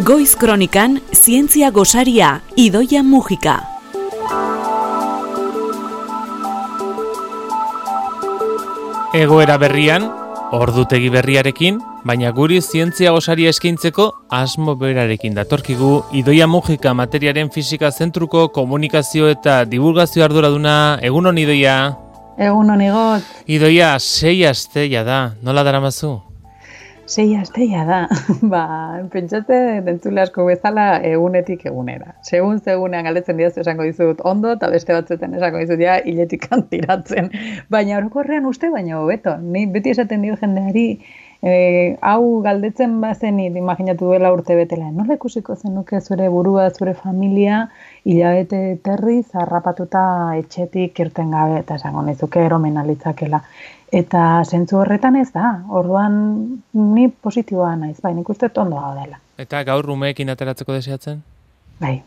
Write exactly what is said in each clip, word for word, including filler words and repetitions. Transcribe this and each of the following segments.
Goiz Kronikan, zientzia gosaria, Idoia Mujika. Egoera berrian, ordutegi berriarekin, baina guri zientzia gosaria eskaintzeko asmo berarekin datorkigu Idoia Mujika materiaren fisika zentruko komunikazio eta divulgazio arduraduna. Egunon, Idoia. Egunon, Igot. Idoia, sei asteia da, nola daramazu? Sei asteia da, ba, pentsate dentzule asko bezala egunetik egunera. Segun segunean galdetzen didazu esango dizut ondo, eta beste batzuetan esango dizut ja hiletik antiratzen. Baina orokorrean uste baina hobeto. Ni beti esaten dio jendeari, e, hau galdetzen bazenit, imaginatu duela urte betela. Nola ikusiko zenuke zure burua, zure familia, hilabete terriz, harrapatuta etxetik irten gabe, eta esango nizuke eromen alitzakela. Eta zentzu horretan ez da, orduan ni positiboa naiz, bai, nik uste ondo gaudela. Eta gaur umeekin ateratzeko deseatzen? Bai,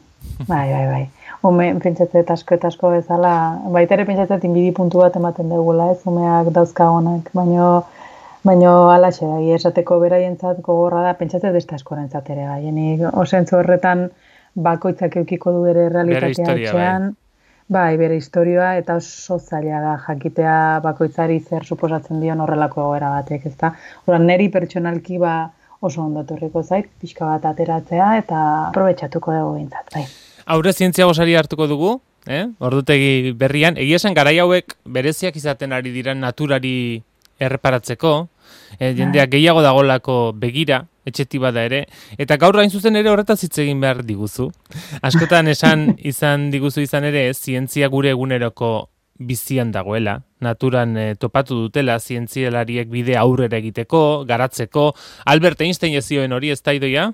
bai, bai, bai. Ume, pentsatzet asko eta asko bezala, baita ere pentsatzet inbidi puntu bat ematen dugula, ez, umeak dauzkagonak, baino, baino alaxe da, esateko beraientzat gogorra da, pentsatzet beste askorentzat ere, bai, nik osentzu horretan bakoitzak eukiko du bere realitatea etxean. Bai, bere historia eta oso zaila da jakitea bakoitzari zer suposatzen dion horrelako egoera batek, ezta? Ora neri pertsonalki ba oso ondo etorriko zait, pixka bat ateratzea eta aprobetxatuko dugu behintzat, bai. Aurre zientzia gosaria hartuko dugu, eh? Ordutegi berrian, egia esan garai hauek bereziak izaten ari dira naturari erreparatzeko, eh, jendeak gehiago dagolako begira, etxeti bada ere, eta gaur hain zuzen ere horretaz hitz egin behar diguzu. Askotan esan izan diguzu izan ere, zientzia gure eguneroko bizian dagoela, naturan eh, topatu dutela zientzialariek bide aurrera egiteko, garatzeko. Albert Einstein ez zioen hori, ez da, Idoia?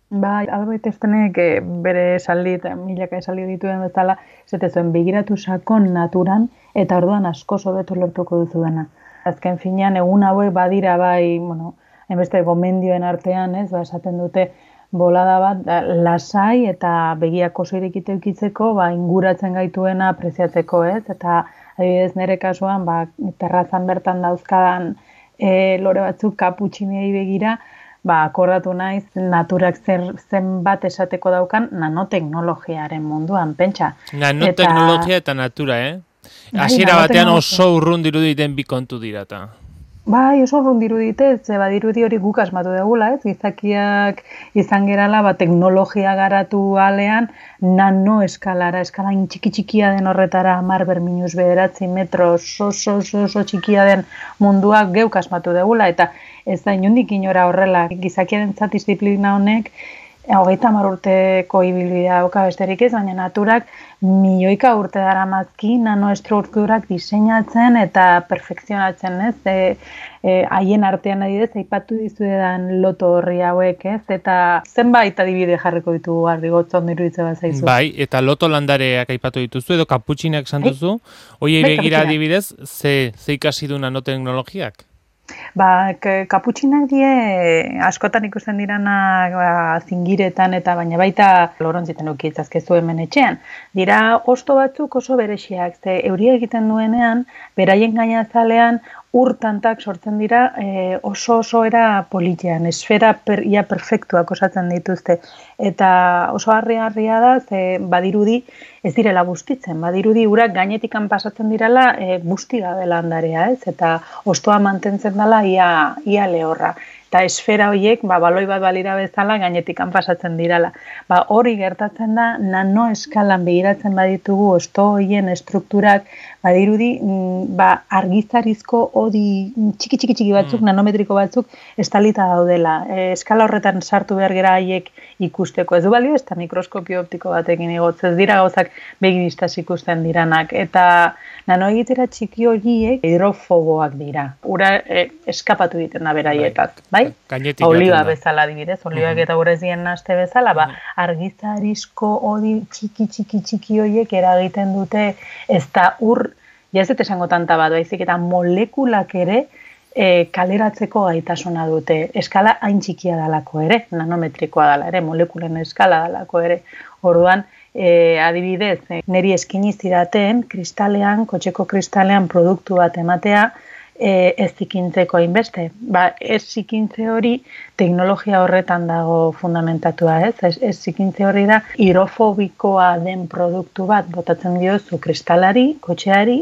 Bai, Albert Einsteinek eh, bere esaldi eta milaka esaldi dituen bezala, zete zuen begiratu sakon naturan, eta orduan asko hobeto lortuko duzu dena. Azken finean, egun hauek badira bai, bueno, enbeste gomendioen artean, ez, ba, esaten dute bolada bat, da, lasai eta begiak oso irekite eukitzeko, ba, inguratzen gaituena apreziatzeko, ez, eta adibidez nire kasuan, ba, terrazan bertan dauzkadan e, lore batzuk kaputxinei begira, ba, akordatu naiz naturak zer zenbat esateko daukan nanoteknologiaren munduan, pentsa. Nanoteknologia eta, eta natura, eh? Hasiera batean oso urrun diruditen bi kontu dirata. Bai, oso urrun dirudite, ze badirudi hori guk asmatu degula, ez? Gizakiak izan gerala, ba, teknologia garatu alean, nano eskalara, eskala txiki-txikia den horretara, hamar berminus bederatzi metro, oso, oso, oso, oso txikia den munduak geuk asmatu degula, eta ez da inondik inora horrela, gizakiaren disiplina honek, hogeita hamar urteko ibilbidea dauka besterik ez, baina naturak milioika urte daramazki nanoestrukturak diseinatzen eta perfekzionatzen, ez? E, e, haien artean adidez, aipatu dizuedan loto horri hauek, ez? Eta zenbait adibide jarriko ditugu ardigotz ondo iruditze bat zaizu. Bai, eta loto landareak aipatu dituzu edo kaputxinak esan duzu, hoiei begira adibidez, ze, ze ikasi du nanoteknologiak? Ba, kaputxinak die askotan ikusten dirana ba, zingiretan eta baina baita lorontziten ukietzazkezu hemen etxean. Dira hosto batzuk oso berexiak, ze euria egiten duenean, beraien gainazalean urtantak sortzen dira e, oso oso era politean, esfera per, ia perfektuak osatzen dituzte. Eta oso harri-harria da, ze badirudi ez direla bustitzen, badirudi urak gainetikan pasatzen direla e, busti gabe landarea, ez? Eta hostoa mantentzen dela ia, ia lehorra. Eta esfera horiek, ba, baloi bat balira bezala gainetikan pasatzen direla. Ba, hori gertatzen da, nano eskalan begiratzen baditugu hosto horien estrukturak, badirudi, ba, argizarizko hodi txiki-txiki-txiki batzuk, mm. nanometriko batzuk, estalita daudela. E, eskala horretan sartu behar gera haiek ikusteko. Ez du balio, ez da mikroskopio optiko batekin igotz. Ez dira gauzak begiristaz ikusten diranak. Eta nanoegitera txiki horiek hidrofoboak dira. Ura e, eskapatu egiten da beraietaz, bai? Oliba bezala adibidez, olibak eta urezien naste bezala, ba, argizarizko hodi txiki-txiki-txiki horiek eragiten dute ez da ur, ja ez dut esango tanta bat, baizik eta molekulak ere e, kaleratzeko gaitasuna dute. Eskala hain txikia dalako ere, nanometrikoa dala ere, molekulen eskala dalako ere. Orduan, e, adibidez, e, neri eskini zidaten kristalean, kotxeko kristalean produktu bat ematea, e, ez zikintzeko hainbeste. Ba, ez zikintze hori teknologia horretan dago fundamentatua, ez? Ez, ez zikintze hori da hidrofobikoa den produktu bat botatzen diozu kristalari, kotxeari,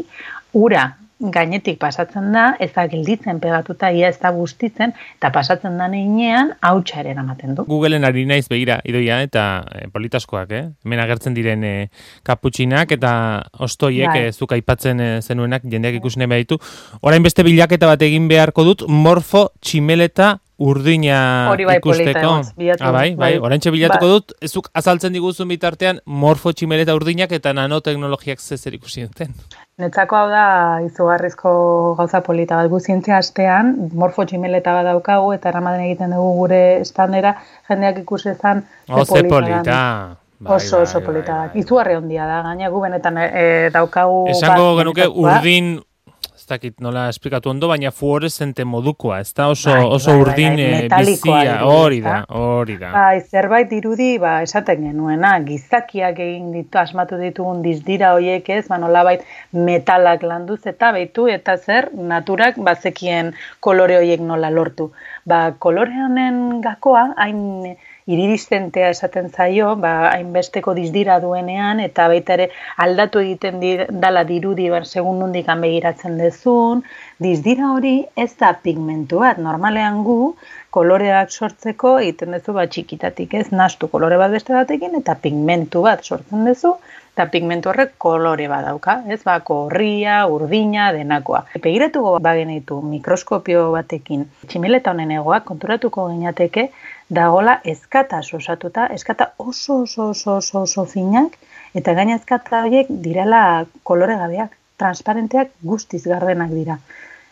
ura gainetik pasatzen da, ez da gelditzen pegatuta, ia ez da bustitzen, eta pasatzen da neinean, hautsa ere eramaten du. Googleen ari naiz begira, Idoia, eta e, politaskoak, eh? Hemen agertzen diren e, kaputxinak eta ostoiek, Bai. e, zuk aipatzen e, zenuenak, jendeak ikusne baditu. Orain beste bilaketa bat egin beharko dut, morfo tximeleta urdina Hori bai polita ikusteko. egoz, bilatu. Ah, bai, bai, bai. oraintxe bilatuko Ba- dut, zuk azaltzen diguzun bitartean morfo tximeleta urdinak eta nanoteknologiak zezer ikusi duten. Netzako hau da izugarrizko gauza polita bat. Gu zientzia astean, morfo tximeleta bat daukagu, eta eramaten egiten dugu gure standera, jendeak ikusi ezan Oh, ze den. polita. Bai, oso, oso bai, polita bai, da. bai. Izugarri handia da, gaina gu benetan e, daukagu... Esango bat genuke benetakoa. urdin, ez dakit nola esplikatu ondo, baina fluorescente modukoa, ez da oso, Bai, oso bai, bai, urdin bai, eh, metalikoa bizia, dirudi, hori da, ezta? hori da. Bai, zerbait dirudi, ba, esaten genuena, gizakiak egin ditu, asmatu ditugun dizdira hoiek ez, ba, nolabait metalak landuz eta beitu, eta zer, naturak bazekien kolore hoiek nola lortu. Ba, kolore honen gakoa, hain iridistentea esaten zaio, ba, hainbesteko dizdira duenean, eta baita ere aldatu egiten di, dala dirudi, bar, segun nondik begiratzen dezun, dizdira hori ez da pigmentu bat, normalean gu, koloreak sortzeko egiten duzu bat txikitatik, ez nastu kolore bat beste batekin, eta pigmentu bat sortzen duzu, eta pigmentu horrek kolore bat dauka, ez ba, gorria, urdina, denakoa. Begiratuko bagenitu mikroskopio batekin, tximeleta honen egoak konturatuko ginateke, dagola ezkata osatuta, ezkata oso oso oso oso oso finak, eta gaina ezkata horiek direla kolore gabeak, transparenteak guztiz gardenak dira.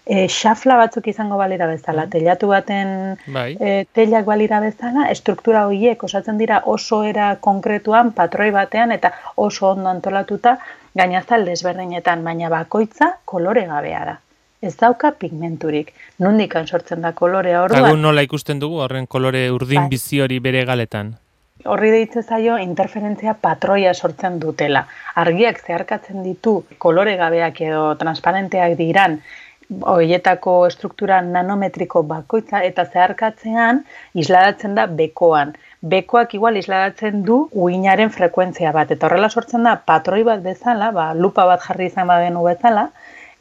E, xafla batzuk izango balira bezala, telatu baten Bai. e, telak balira bezala, estruktura horiek osatzen dira oso era konkretuan, patroi batean, eta oso ondo antolatuta, gainazal desberdinetan, baina bakoitza kolore gabea da. Ez dauka pigmenturik. Nondikan sortzen da kolorea Eta gu orduan. nola ikusten dugu, horren kolore urdin Bai. bizi hori bere galetan. Horri deitze zaio interferentzia patroia sortzen dutela. Argiak zeharkatzen ditu kolore gabeak edo transparenteak diran, horietako estruktura nanometriko bakoitza, eta zeharkatzean isladatzen da bekoan. Bekoak igual isladatzen du uinaren frekuentzia bat, eta horrela sortzen da patroi bat bezala, ba, lupa bat jarri izan badenu bezala,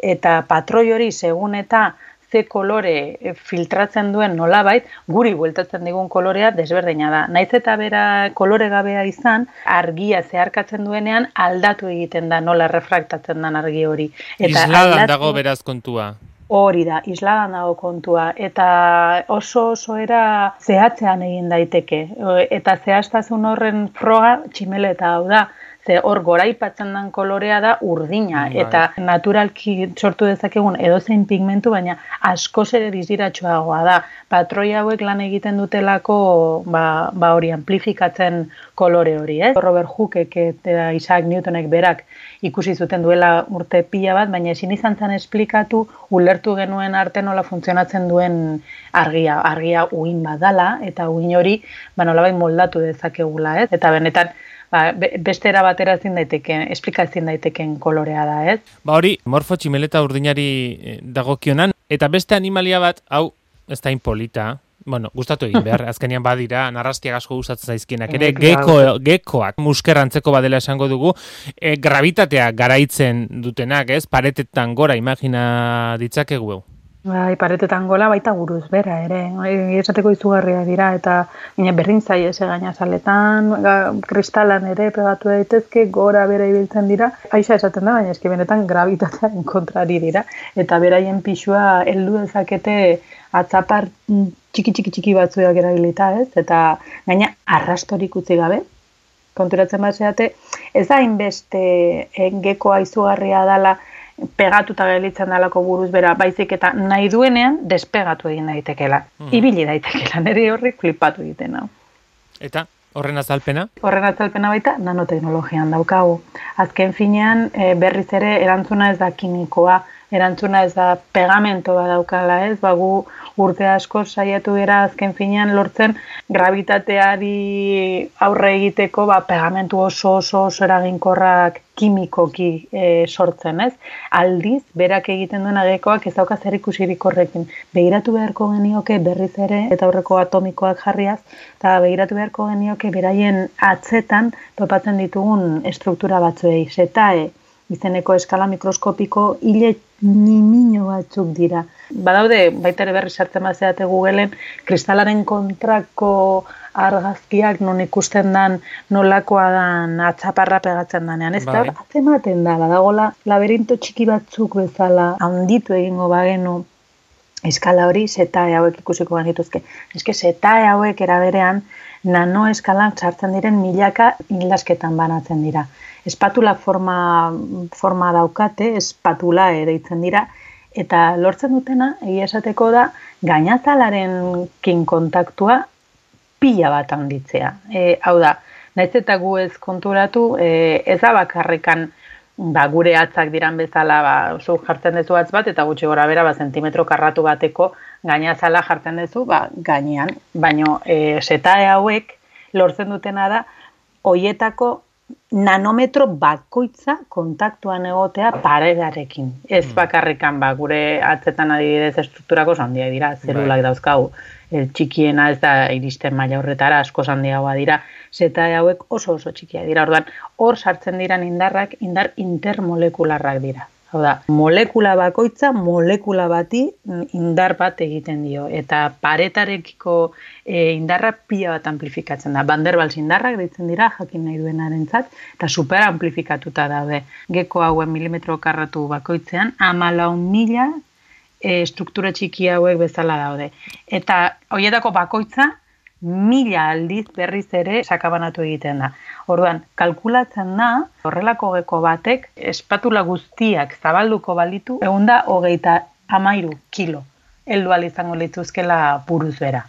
eta patroi hori segun eta ze kolore filtratzen duen nolabait, guri bueltatzen digun kolorea desberdina da. Naiz eta bera kolore gabea izan, argia zeharkatzen duenean aldatu egiten da, nola refraktatzen den argi hori. Eta Isladan aldatu- dago beraz kontua. Hori da, isladan dago kontua, eta oso oso era zehatzean egin daiteke, eta zehaztasun horren froga tximeleta hau da, ze hor goraipatzen den kolorea da urdina, Bai. eta naturalki sortu dezakegun edozein pigmentu, baina askoz ere diziratsuagoa da. Patroi hauek lan egiten dutelako ba, ba hori amplifikatzen kolore hori, ez? Robert Hookek eta Isaac Newtonek berak ikusi zuten duela urte pila bat, baina ezin izan zen esplikatu, ulertu genuen arte nola funtzionatzen duen argia, argia uin badala, eta uin hori ba nolabait moldatu dezakegula, ez? Eta benetan ba, beste era batera ezin daiteken, esplikazioen daiteken kolorea da, ez? Ba hori, morfo tximeleta urdinari eh, dagokionan, eta beste animalia bat, hau, ez da inpolita, bueno, gustatu egin behar, azkenean badira, narrastiak asko gustatzen zaizkienak, ere Eh, geko, gekoak, muskerrantzeko badela esango dugu, e, gravitatea garaitzen dutenak, ez, paretetan gora, imagina ditzakegu. Bai, paretetan gola baita buruz bera ere, bai, esateko izugarria dira, eta baina berdin zaie ze gainazaletan, ga- kristalan ere pegatu daitezke, gora bera ibiltzen dira, aixa esaten da, baina eski benetan gravitatearen kontrari dira, eta beraien pixua heldu dezakete atzapar mm, txiki txiki txiki batzuak erabilita, ez? Eta gaina arrastorik utzi gabe, konturatzen bat zeate, ez da hainbeste eh, gekoa izugarria dala, pegatuta gelditzen dalako buruz bera, baizik eta nahi duenean despegatu egin daitekela. Mm. Ibili daitekela, nire horri flipatu egiten hau. Eta, horren azalpena? Horren atzalpena baita nanoteknologian daukagu. Azken finean e, berriz ere erantzuna ez da kimikoa, erantzuna ez da pegamento badaukala, ez? Ba, gu urte asko saiatu gara azken finean lortzen gravitateari aurre egiteko ba, pegamentu oso oso oso eraginkorrak kimikoki e, sortzen, ez? Aldiz, berak egiten duena gekoak ez dauka zer ikusirik horrekin. Begiratu beharko genioke berriz ere, eta aurreko atomikoak jarriaz, eta begiratu beharko genioke beraien atzetan topatzen ditugun estruktura batzuei, zetae, izeneko eskala mikroskopiko hile nimino batzuk dira. Badaude, baita ere berri sartzen bazeate Googleen, kristalaren kontrako argazkiak non ikusten dan nolakoa dan atzaparra pegatzen danean. Ez da, Bai. atzematen da, badagola laberinto txiki batzuk bezala handitu egingo bagenu eskala hori zetae hauek ikusiko genituzke. Eske zetae hauek eraberean nano eskalan sartzen diren milaka hildasketan banatzen dira. Espatula forma, forma daukate, espatula deitzen dira, eta lortzen dutena, egia esateko da, gainazalarekin kontaktua pila bat handitzea. E, hau da, nahiz eta gu ez konturatu, e, ez da bakarrekan ba, gure atzak diran bezala, ba, zu jartzen dezu atz bat, eta gutxi gora bera, ba, zentimetro karratu bateko gainazala jartzen dezu, ba, gainean. Baina, e, zetae hauek lortzen dutena da, hoietako nanometro bakoitza kontaktuan egotea paredarekin. Ez bakarrikan, ba, gure atzetan adibidez estrukturako handiak dira, zelulak dauzkagu. El txikiena ez da iristen maila horretara, asko handiagoa dira, zetae hauek oso oso txikia dira. Orduan, hor sartzen diran indarrak, indar intermolekularrak dira. Hau da, molekula bakoitza, molekula bati indar bat egiten dio. Eta paretarekiko e, indarra pila bat amplifikatzen da. Van der Waals indarrak deitzen dira, jakin nahi duenarentzat, eta super amplifikatuta daude. Geko hauen milimetro karratu bakoitzean, hamalau mila e, struktura txiki hauek bezala daude. Eta horietako bakoitza, mila aldiz berriz ere sakabanatu egiten da. Orduan, kalkulatzen da, horrelako geko batek, espatula guztiak zabalduko balitu, ehun eta hogeita hamairu kilo. Heldu ahal izango lituzkela buruz bera.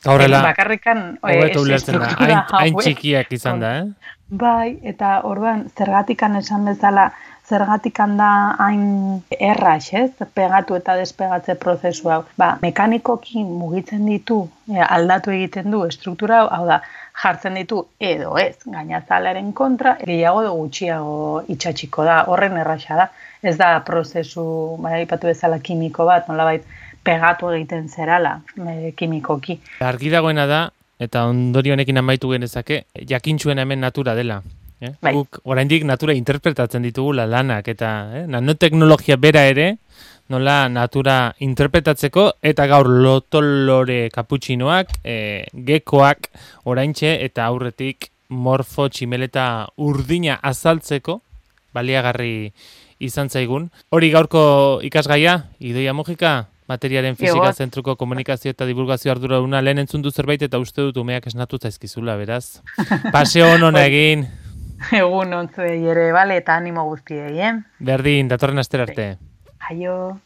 Horrela, bakarrikan hobeto ulertzen da, hain, hain txikiak izan da, eh? Bai, eta orduan, zergatikan esan bezala, zergatikan da hain erraz, ez? Pegatu eta despegatze prozesu hau. Ba, mekanikoki mugitzen ditu, e, aldatu egiten du estruktura hau, hau da, jartzen ditu edo ez, gainazalaren kontra, gehiago edo gutxiago itxatxiko da, horren erraxa da. Ez da prozesu, bai, aipatu bezala kimiko bat, nolabait pegatu egiten zerala, e, kimikoki. Argi dagoena da, eta ondorio honekin amaitu genezake, jakintxuen hemen natura dela. Eh? Bai. Guk oraindik natura interpretatzen ditugula lanak, eta eh? nanoteknologia bera ere, nola natura interpretatzeko, eta gaur lotolore kaputxinoak, eh, gekoak oraintxe, eta aurretik morfo tximeleta urdina azaltzeko, baliagarri izan zaigun. Hori gaurko ikasgaia, Idoia Mujika, materiaren fizika Ego. zentruko komunikazio eta divulgazio arduraduna lehen entzun du zerbait eta uste dut umeak esnatu zaizkizula, beraz. Paseo hona egin. Egun ontzuei ere, bale, eta animo guztiei, eh? Berdin, datorren astera arte. Aio.